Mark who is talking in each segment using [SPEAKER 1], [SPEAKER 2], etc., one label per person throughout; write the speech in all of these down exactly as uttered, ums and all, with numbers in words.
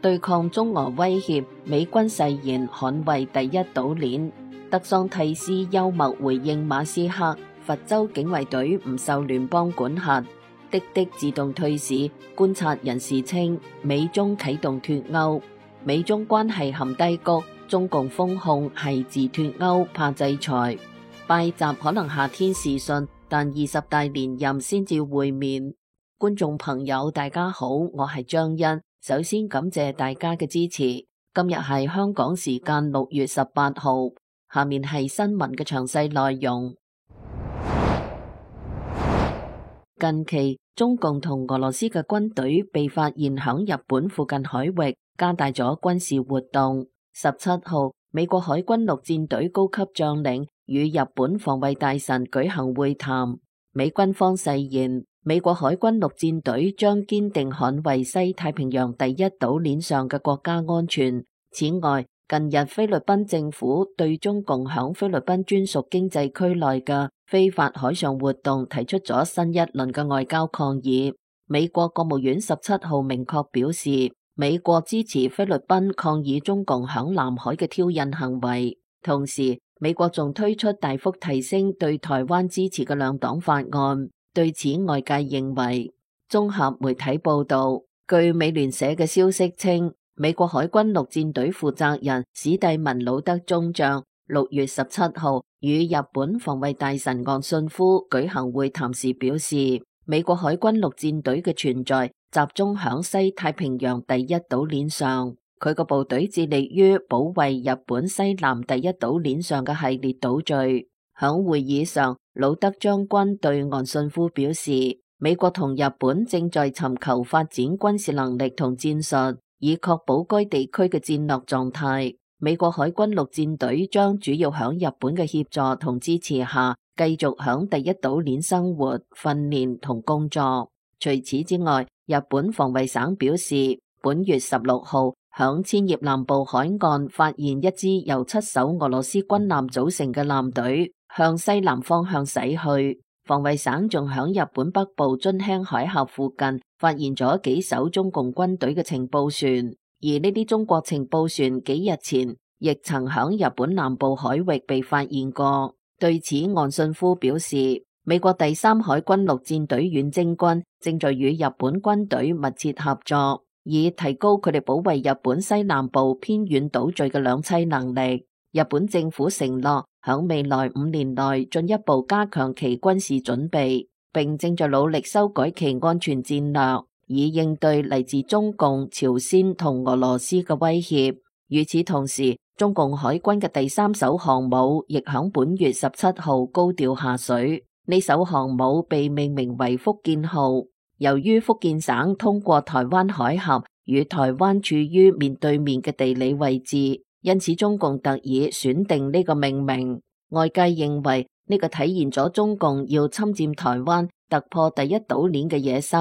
[SPEAKER 1] 對抗中俄威脅，美軍誓言捍衛第一島鏈。德桑蒂斯幽默回應馬斯克，佛州警衛隊唔受聯邦管轄。滴滴自動退市，觀察人士稱美中啟動脫歐。美中關係陷低谷，中共封控係自脫歐怕制裁。拜習可能夏天視訊，但二十大連任先至會面。觀眾朋友大家好，我係張欣，首先感謝大家嘅支持。今日係香港時間六月十八號，下面係新聞嘅詳細內容。近期中共同俄羅斯嘅軍隊被發現響日本附近海域加大咗軍事活動。十七號，美國海軍陸戰隊高級將領與日本防衛大臣舉行會談。美軍方誓言，美國海軍陸戰隊將堅定捍衛西太平洋第一島鏈上嘅國家安全。此外，近日菲律賓政府對中共響菲律賓專屬經濟區內嘅非法海上活動提出咗新一輪嘅外交抗議。美國國務院十七號明確表示，美國支持菲律賓抗議中共響南海嘅挑釁行為。同時，美國仲推出大幅提升對台灣支持嘅兩黨法案。對此，外界認為，綜合媒體報道，據美聯社嘅消息稱，美國海軍陸戰隊負責人史蒂文魯德中將六月十七號與日本防衛大臣岸信夫舉行會談時表示，美國海軍陸戰隊嘅存在集中響西太平洋第一島鏈上，佢個部隊致力於保衛日本西南第一島鏈上嘅系列島嶼。響會議上，魯德將軍對岸信夫表示，美國同日本正在尋求發展軍事能力同戰術，以確保該地區嘅戰略狀態。美國海軍陸戰隊將主要響日本嘅協助同支持下，繼續響第一島鏈生活、訓練同工作。除此之外，日本防衛省表示，本月十六號響千葉南部海岸發現一支由七艘俄羅斯軍艦組成嘅艦隊向西南方向駛去。防衛省仲響日本北部津輕海峽附近發現咗幾艘中共軍隊嘅情報船，而呢啲中國情報船幾日前亦曾響日本南部海域被發現過。對此，岸信夫表示，美國第三海軍陸戰隊遠征軍正在與日本軍隊密切合作，以提高佢哋保衛日本西南部偏遠島嶼嘅兩棲能力。日本政府承諾響未來五年內進一步加強其軍事準備，並正在努力修改其安全戰略，以應對嚟自中共、朝鮮同俄羅斯嘅威脅。與此同時，中共海軍嘅第三艘航母亦響本月十七號高調下水。呢艘航母被命名為福建號。由於福建省通過台灣海峽與台灣處於面對面嘅地理位置，因此中共特意選定呢個命名。外界認為呢個體現咗中共要侵佔台灣、突破第一島鏈嘅野心。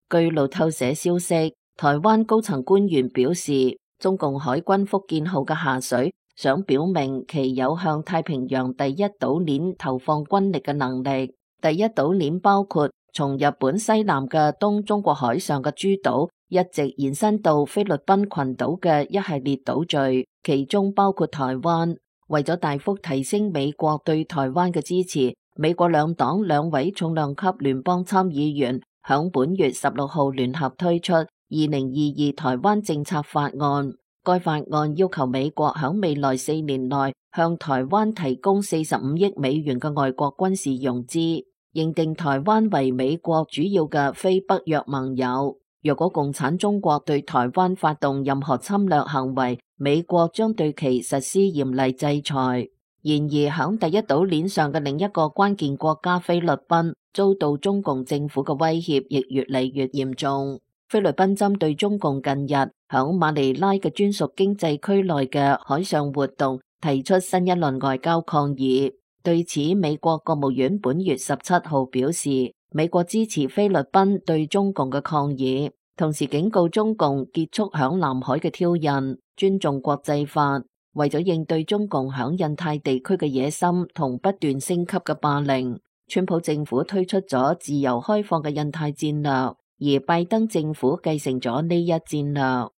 [SPEAKER 1] 據路透社消息，台灣高層官員表示，中共海軍福建號嘅下水想表明其有向太平洋第一島鏈投放軍力嘅能力。第一島鏈包括從日本西南嘅東中國海上嘅諸島，一直延伸到菲律賓群島嘅一系列島嶼，其中包括台灣。為咗大幅提升美國對台灣嘅支持，美國兩黨兩位重量級聯邦參議員響本月十六號聯合推出二零二二台灣政策法案。該法案要求美國響未來四年內向台灣提供四十五億美元嘅外國軍事融資，認定台灣為美國主要嘅非北約盟友。若果共產中國對台灣發動任何侵略行為，美國將對其實施嚴厲制裁。然而，響第一島鏈上嘅另一個關鍵國家菲律賓，遭到中共政府嘅威脅亦越嚟越嚴重。菲律賓針對中共近日響馬尼拉嘅專屬經濟區內嘅海上活動，提出新一輪外交抗議。對此，美國國務院本月十七號表示，美國支持菲律賓對中共嘅抗議，同時警告中共結束響南海嘅挑釁，尊重國際法。為咗應對中共響印太地區嘅野心同不斷升級嘅霸凌，川普政府推出咗自由開放嘅印太戰略，而拜登政府繼承咗呢一戰略。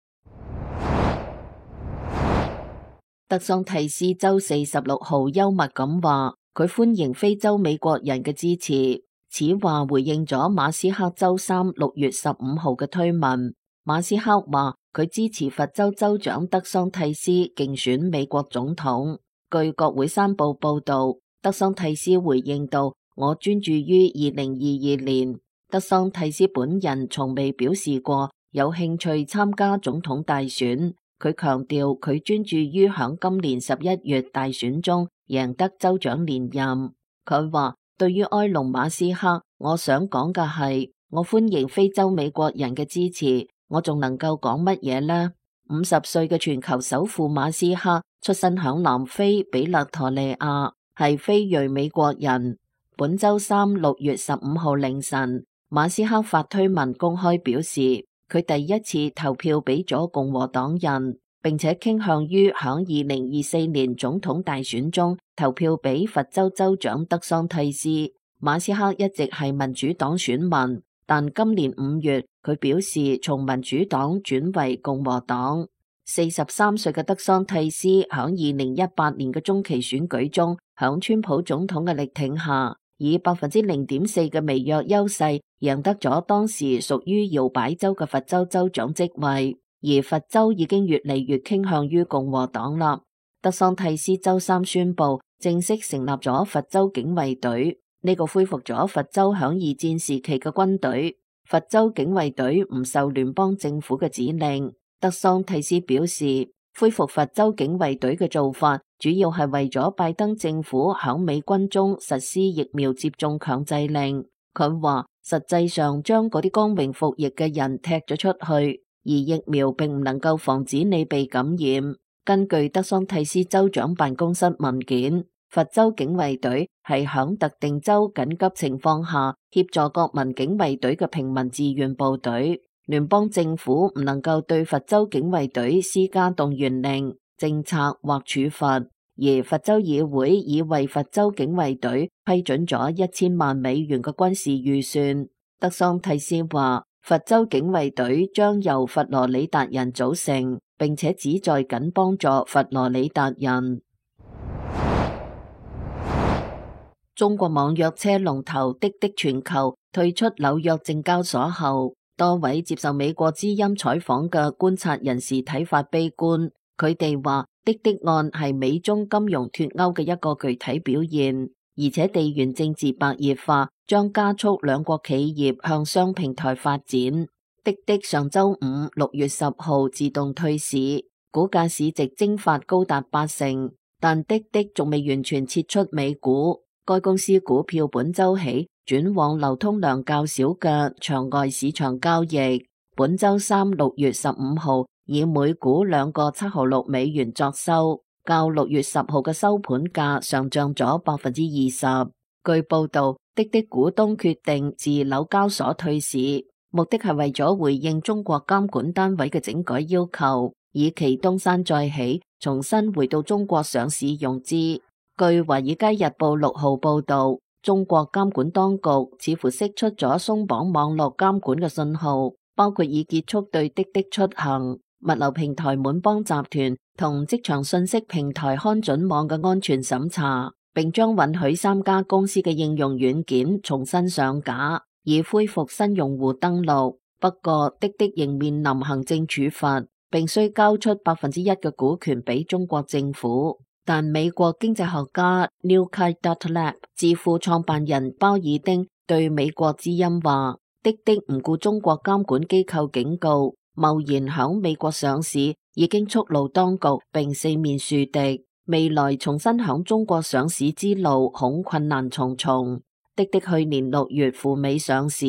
[SPEAKER 1] 德桑蒂斯周四十六號幽默咁話，佢歡迎非洲美國人嘅支持。此話回應咗馬斯克周三六月十五號嘅推文。馬斯克話佢支持佛州州長德桑蒂斯競選美國總統。據國會山報報道，德桑蒂斯回應道：我專注於二零二二年。德桑蒂斯本人從未表示過有興趣參加總統大選。佢強調佢專注於響今年十一月大選中贏得州長連任。佢話：對於埃隆馬斯克，我想講嘅係，我歡迎非洲美國人嘅支持。我仲能夠講乜嘢呢？五十歲嘅全球首富馬斯克出身響南非比勒陀利亞，係非裔美國人。本周三六月十五號凌晨，馬斯克發推文公開表示，佢第一次投票俾咗共和黨人，並且傾向於響二零二四年總統大選中投票俾佛州州長德桑蒂斯。馬斯克一直係民主黨選民，但今年五月佢表示從民主黨轉為共和黨。四十三歲嘅德桑蒂斯響二零一八年嘅中期選舉中，響川普總統嘅力挺下，以百分之零點四嘅微弱優勢贏得咗當時屬於搖擺州嘅佛州州長職位，而佛州已經越嚟越傾向於共和黨啦。德桑蒂斯周三宣布正式成立咗佛州警衛隊，呢個恢復咗佛州響二戰時期嘅軍隊。佛州警衛隊唔受聯邦政府嘅指令。德桑蒂斯表示，恢復佛州警衛隊嘅做法主要係為咗拜登政府響美軍中實施疫苗接種強制令。佢話實際上將嗰啲光榮服役嘅人踢咗出去，而疫苗並唔能夠防止你被感染。根據德桑蒂斯州長辦公室文件，佛州警衛隊係響特定州緊急情況下協助國民警衛隊嘅平民志願部隊。聯邦政府唔能夠對佛州警衛隊施加動員令、政策或處罰，而佛州議會已為佛州警衛隊批准咗一千萬美元嘅軍事預算。德桑蒂斯話，佛州警衛隊將由佛羅里達人組成，並且旨在緊幫助佛羅里達人。中國網約車龍頭滴滴全球退出紐約證交所後，多位接受美國之音採訪嘅觀察人士睇法悲觀，佢哋話滴滴案係美中金融脫鈎嘅一個具體表現，而且地緣政治白熱化將加速兩國企業向雙平台發展。滴滴上周五六月十號自動退市，股價市值蒸發高達八成，但滴滴仲未完全撤出美股，該公司股票本周起轉往流通量較少嘅場外市場交易。本周三六月十五號以每股兩個七毫六美元作收，較六月十號嘅收盤價上漲咗百分之二十。據報道，滴滴股東決定自紐交所退市，目的係為咗回應中國監管單位嘅整改要求，以期東山再起，重新回到中國上市融資。據華爾街日報六號報道，中國監管當局似乎釋出咗鬆綁網絡監管嘅信號，包括已結束對滴滴出行、物流平台滿幫集團同職場信息平台看準網嘅安全審查，並將允許三家公司嘅應用軟件重新上架，以恢復新用戶登錄。不過，滴滴仍面臨行政處罰，並需交出百分之一嘅股權俾中國政府。但美國經濟學家 Newkite.Lab 智庫創辦人鮑爾丁對美國之音話，滴滴唔顧中國監管機構警告，貿然響美國上市已經觸怒當局，並四面樹敵，未來重新響中國上市之路恐困難重重。滴滴去年六月赴美上市，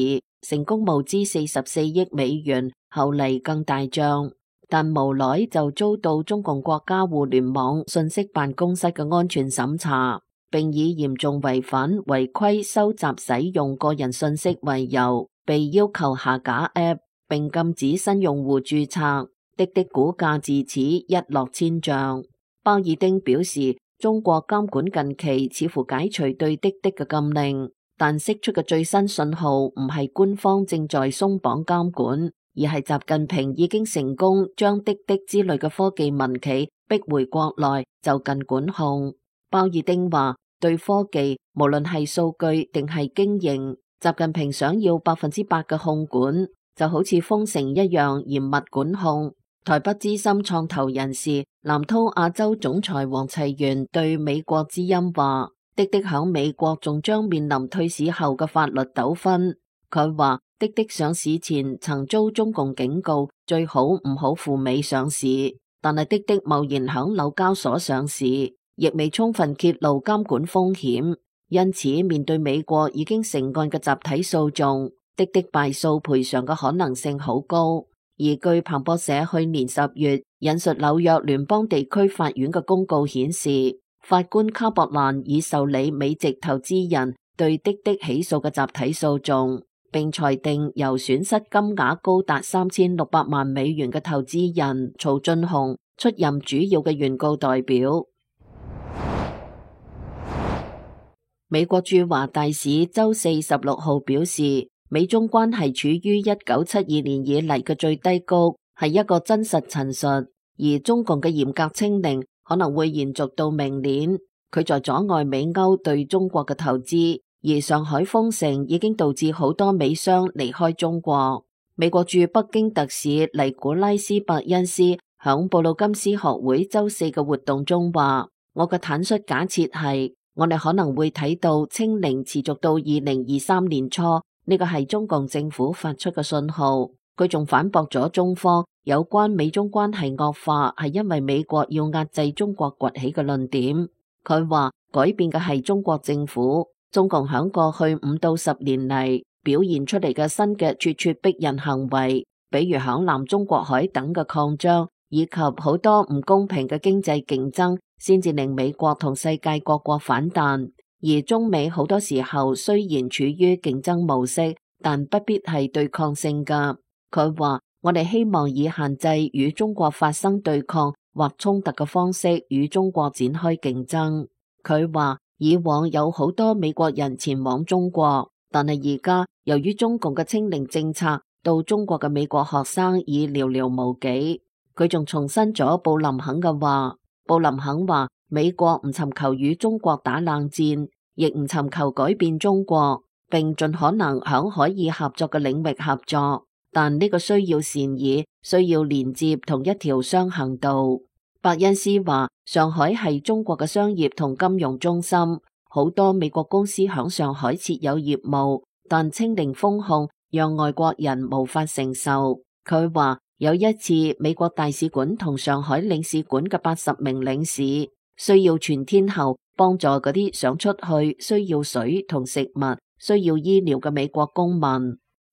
[SPEAKER 1] 成功募資四十四億美元，後嚟更大漲。但無奈就遭到中共國家互聯網信息辦公室嘅安全審查，並以嚴重違反違規收集使用個人信息為由，被要求下架 App， 並禁止新用戶註冊。滴滴股價自此一落千丈。鮑爾丁表示，中國監管近期似乎解除對滴滴嘅禁令，但釋出嘅最新信號唔係官方正在鬆綁監管，而係習近平已經成功將滴滴之類嘅科技民企逼回國內就近管控。鮑爾丁話：對科技，無論係數據定係經營，習近平想要百分之百嘅控管，就好似封城一樣嚴密管控。台北資深創投人士南濤亞洲總裁黃齊源對美國之音話：滴滴響美國仲將面臨退市後嘅法律糾紛。佢話滴滴上市前曾遭中共警告，最好唔好赴美上市，但係滴滴貿然響紐交所上市，亦未充分揭露監管風險，因此面對美國已經成案嘅集體訴訟，滴滴敗訴賠償嘅可能性好高。而據彭博社去年十月引述紐約聯邦地區法院嘅公告顯示，法官卡博蘭已受理美籍投資人對滴滴起訴嘅集體訴訟，並裁定由損失金額高達三千六百萬美元嘅投資人曹俊雄出任主要嘅原告代表。美國駐華大使周四十六號表示，美中關係處於一九七二年以嚟嘅最低谷，係一個真實陳述，而中共嘅嚴格清零可能會延續到明年。佢在阻礙美歐對中國嘅投資，而上海封城已經導致好多美商離開中國。美國駐北京特使尼古拉斯伯恩斯響布魯金斯學會周四嘅活動中話：我嘅坦率假設係，我哋可能會睇到清零持續到二零二三年初。呢個係中共政府發出嘅信號。佢仲反駁咗中方有關美中關係惡化係因為美國要壓制中國崛起嘅論點。佢話改變嘅係中國政府，中共響過去五到十年嚟表現出嚟嘅新嘅咄咄逼人行為，比如響南中國海等嘅擴張，以及好多唔公平嘅經濟競爭，先至令美國同世界各國反彈。而中美好多時候雖然處於競爭模式，但不必係對抗性㗎。佢話：我哋希望以限制與中國發生對抗或衝突嘅方式與中國展開競爭。佢話：以往有好多美國人前往中國，但係而家由於中共嘅清零政策，到中國嘅美國學生已寥寥無幾。佢仲重申咗布林肯嘅話。布林肯話：美國唔尋求與中國打冷戰，亦唔尋求改變中國，並盡可能響可以合作嘅領域合作，但呢個需要善意，需要連接同一條雙行道。伯恩斯話：上海係中國嘅商業同金融中心，好多美國公司響上海設有業務，但清零封控讓外國人無法承受。佢話：有一次美國大使館同上海領事館嘅八十名領事需要全天候幫助嗰啲想出去、需要水同食物、需要醫療嘅美國公民。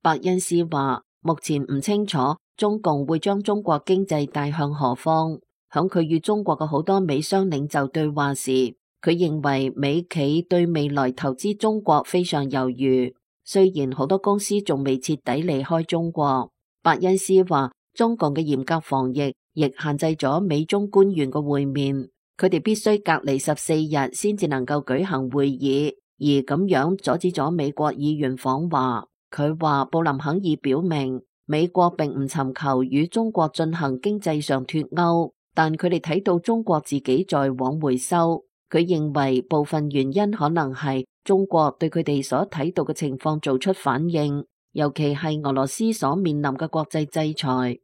[SPEAKER 1] 伯恩斯話：目前唔清楚中共會將中國經濟帶向何方。響佢與中國嘅好多美商領袖對話時，佢認為美企對未來投資中國非常猶豫，雖然好多公司仲未徹底離開中國。伯恩斯話：中共嘅嚴格防疫亦限制咗美中官員嘅會面，佢哋必須隔離十四日先至能夠舉行會議，而咁樣阻止咗美國議員訪華。佢話布林肯已表明，美國並唔尋求與中國進行經濟上脫鈎，但佢哋睇到中國自己在往回收。佢認為部分原因可能係中國對佢哋所睇到嘅情況做出反應。尤其係俄羅斯所面臨嘅國際制裁。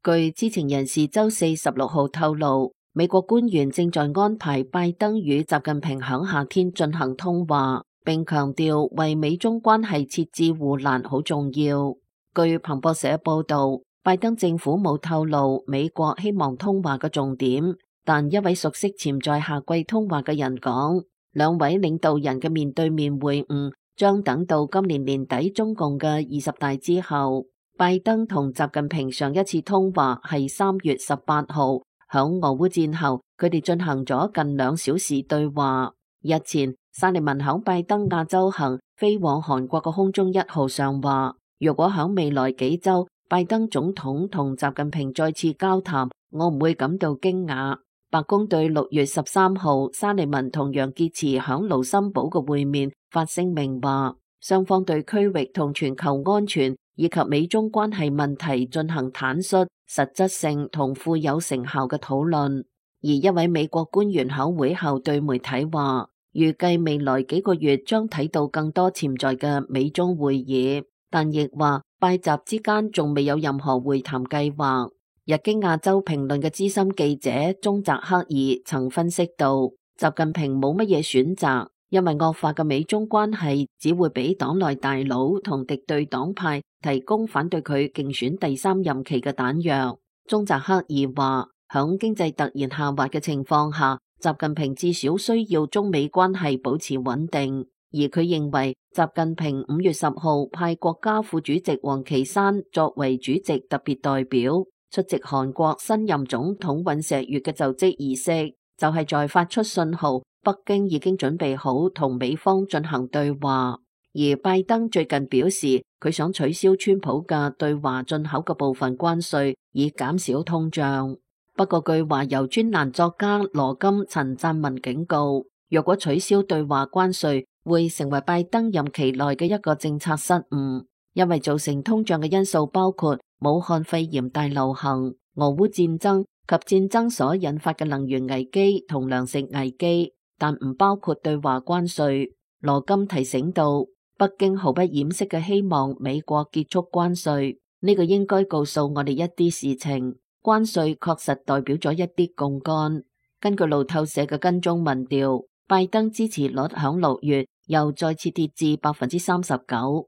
[SPEAKER 1] 據知情人士周四十六號透露，美國官員正在安排拜登與習近平響夏天進行通話，並強調為美中關係設置護欄好重要。據彭博社報道，拜登政府冇透露美國希望通話嘅重點，但一位熟悉潛在夏季通話嘅人講，兩位領導人嘅面對面會晤將等到今年年底中共嘅二十大之後。拜登同習近平上一次通話係三月十八號，響俄烏戰後，佢哋進行咗近兩小時對話。日前，沙利文響拜登亞洲行飛往韓國嘅空中一號上話，如果響未來幾周，拜登總統同習近平再次交談，我唔會感到驚訝。白宮對六月十三號沙利文同楊潔篪響盧森堡嘅會面發聲明話，雙方對區域同全球安全以及美中關係問題進行坦率、實質性同富有成效嘅討論。而一位美國官員喺會後對媒體話，預計未來幾個月將睇到更多潛在嘅美中會議，但亦話拜習之間仲未有任何會談計劃。日經亞洲評論嘅資深記者中澤克二曾分析到，習近平冇乜嘢選擇，因為惡化嘅美中關係只會俾黨內大佬同敵對黨派提供反對佢競選第三任期嘅彈藥。中澤克二話，響經濟突然下滑嘅情況下，習近平至少需要中美關係保持穩定。而佢認為，習近平五月十號派國家副主席王岐山作為主席特別代表出席韓國新任總統尹錫悅嘅就職儀式，就係在發出信號，北京已經準備好同美方進行對話。而拜登最近表示，佢想取消川普嘅對華進口嘅部分關稅，以減少通脹。不過據話由專欄作家羅金陳贊文警告，若果取消對華關稅，會成為拜登任期內嘅一個政策失誤，因為造成通脹嘅因素包括武漢肺炎大流行、俄烏戰爭及戰爭所引發嘅能源危機同糧食危機，但唔包括對華關稅。羅金提醒到，北京毫不掩飾嘅希望美國結束關稅，呢個應該告訴我哋一啲事情。關稅確實代表咗一啲槓桿。根據路透社嘅跟蹤民調，拜登支持率響六月又再次跌至百分之三十九。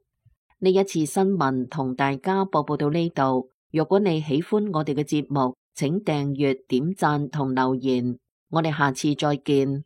[SPEAKER 1] 呢一次新聞同大家播報到呢度。如果你喜歡我哋嘅節目，請訂閱、點讚同留言。我哋下次再見。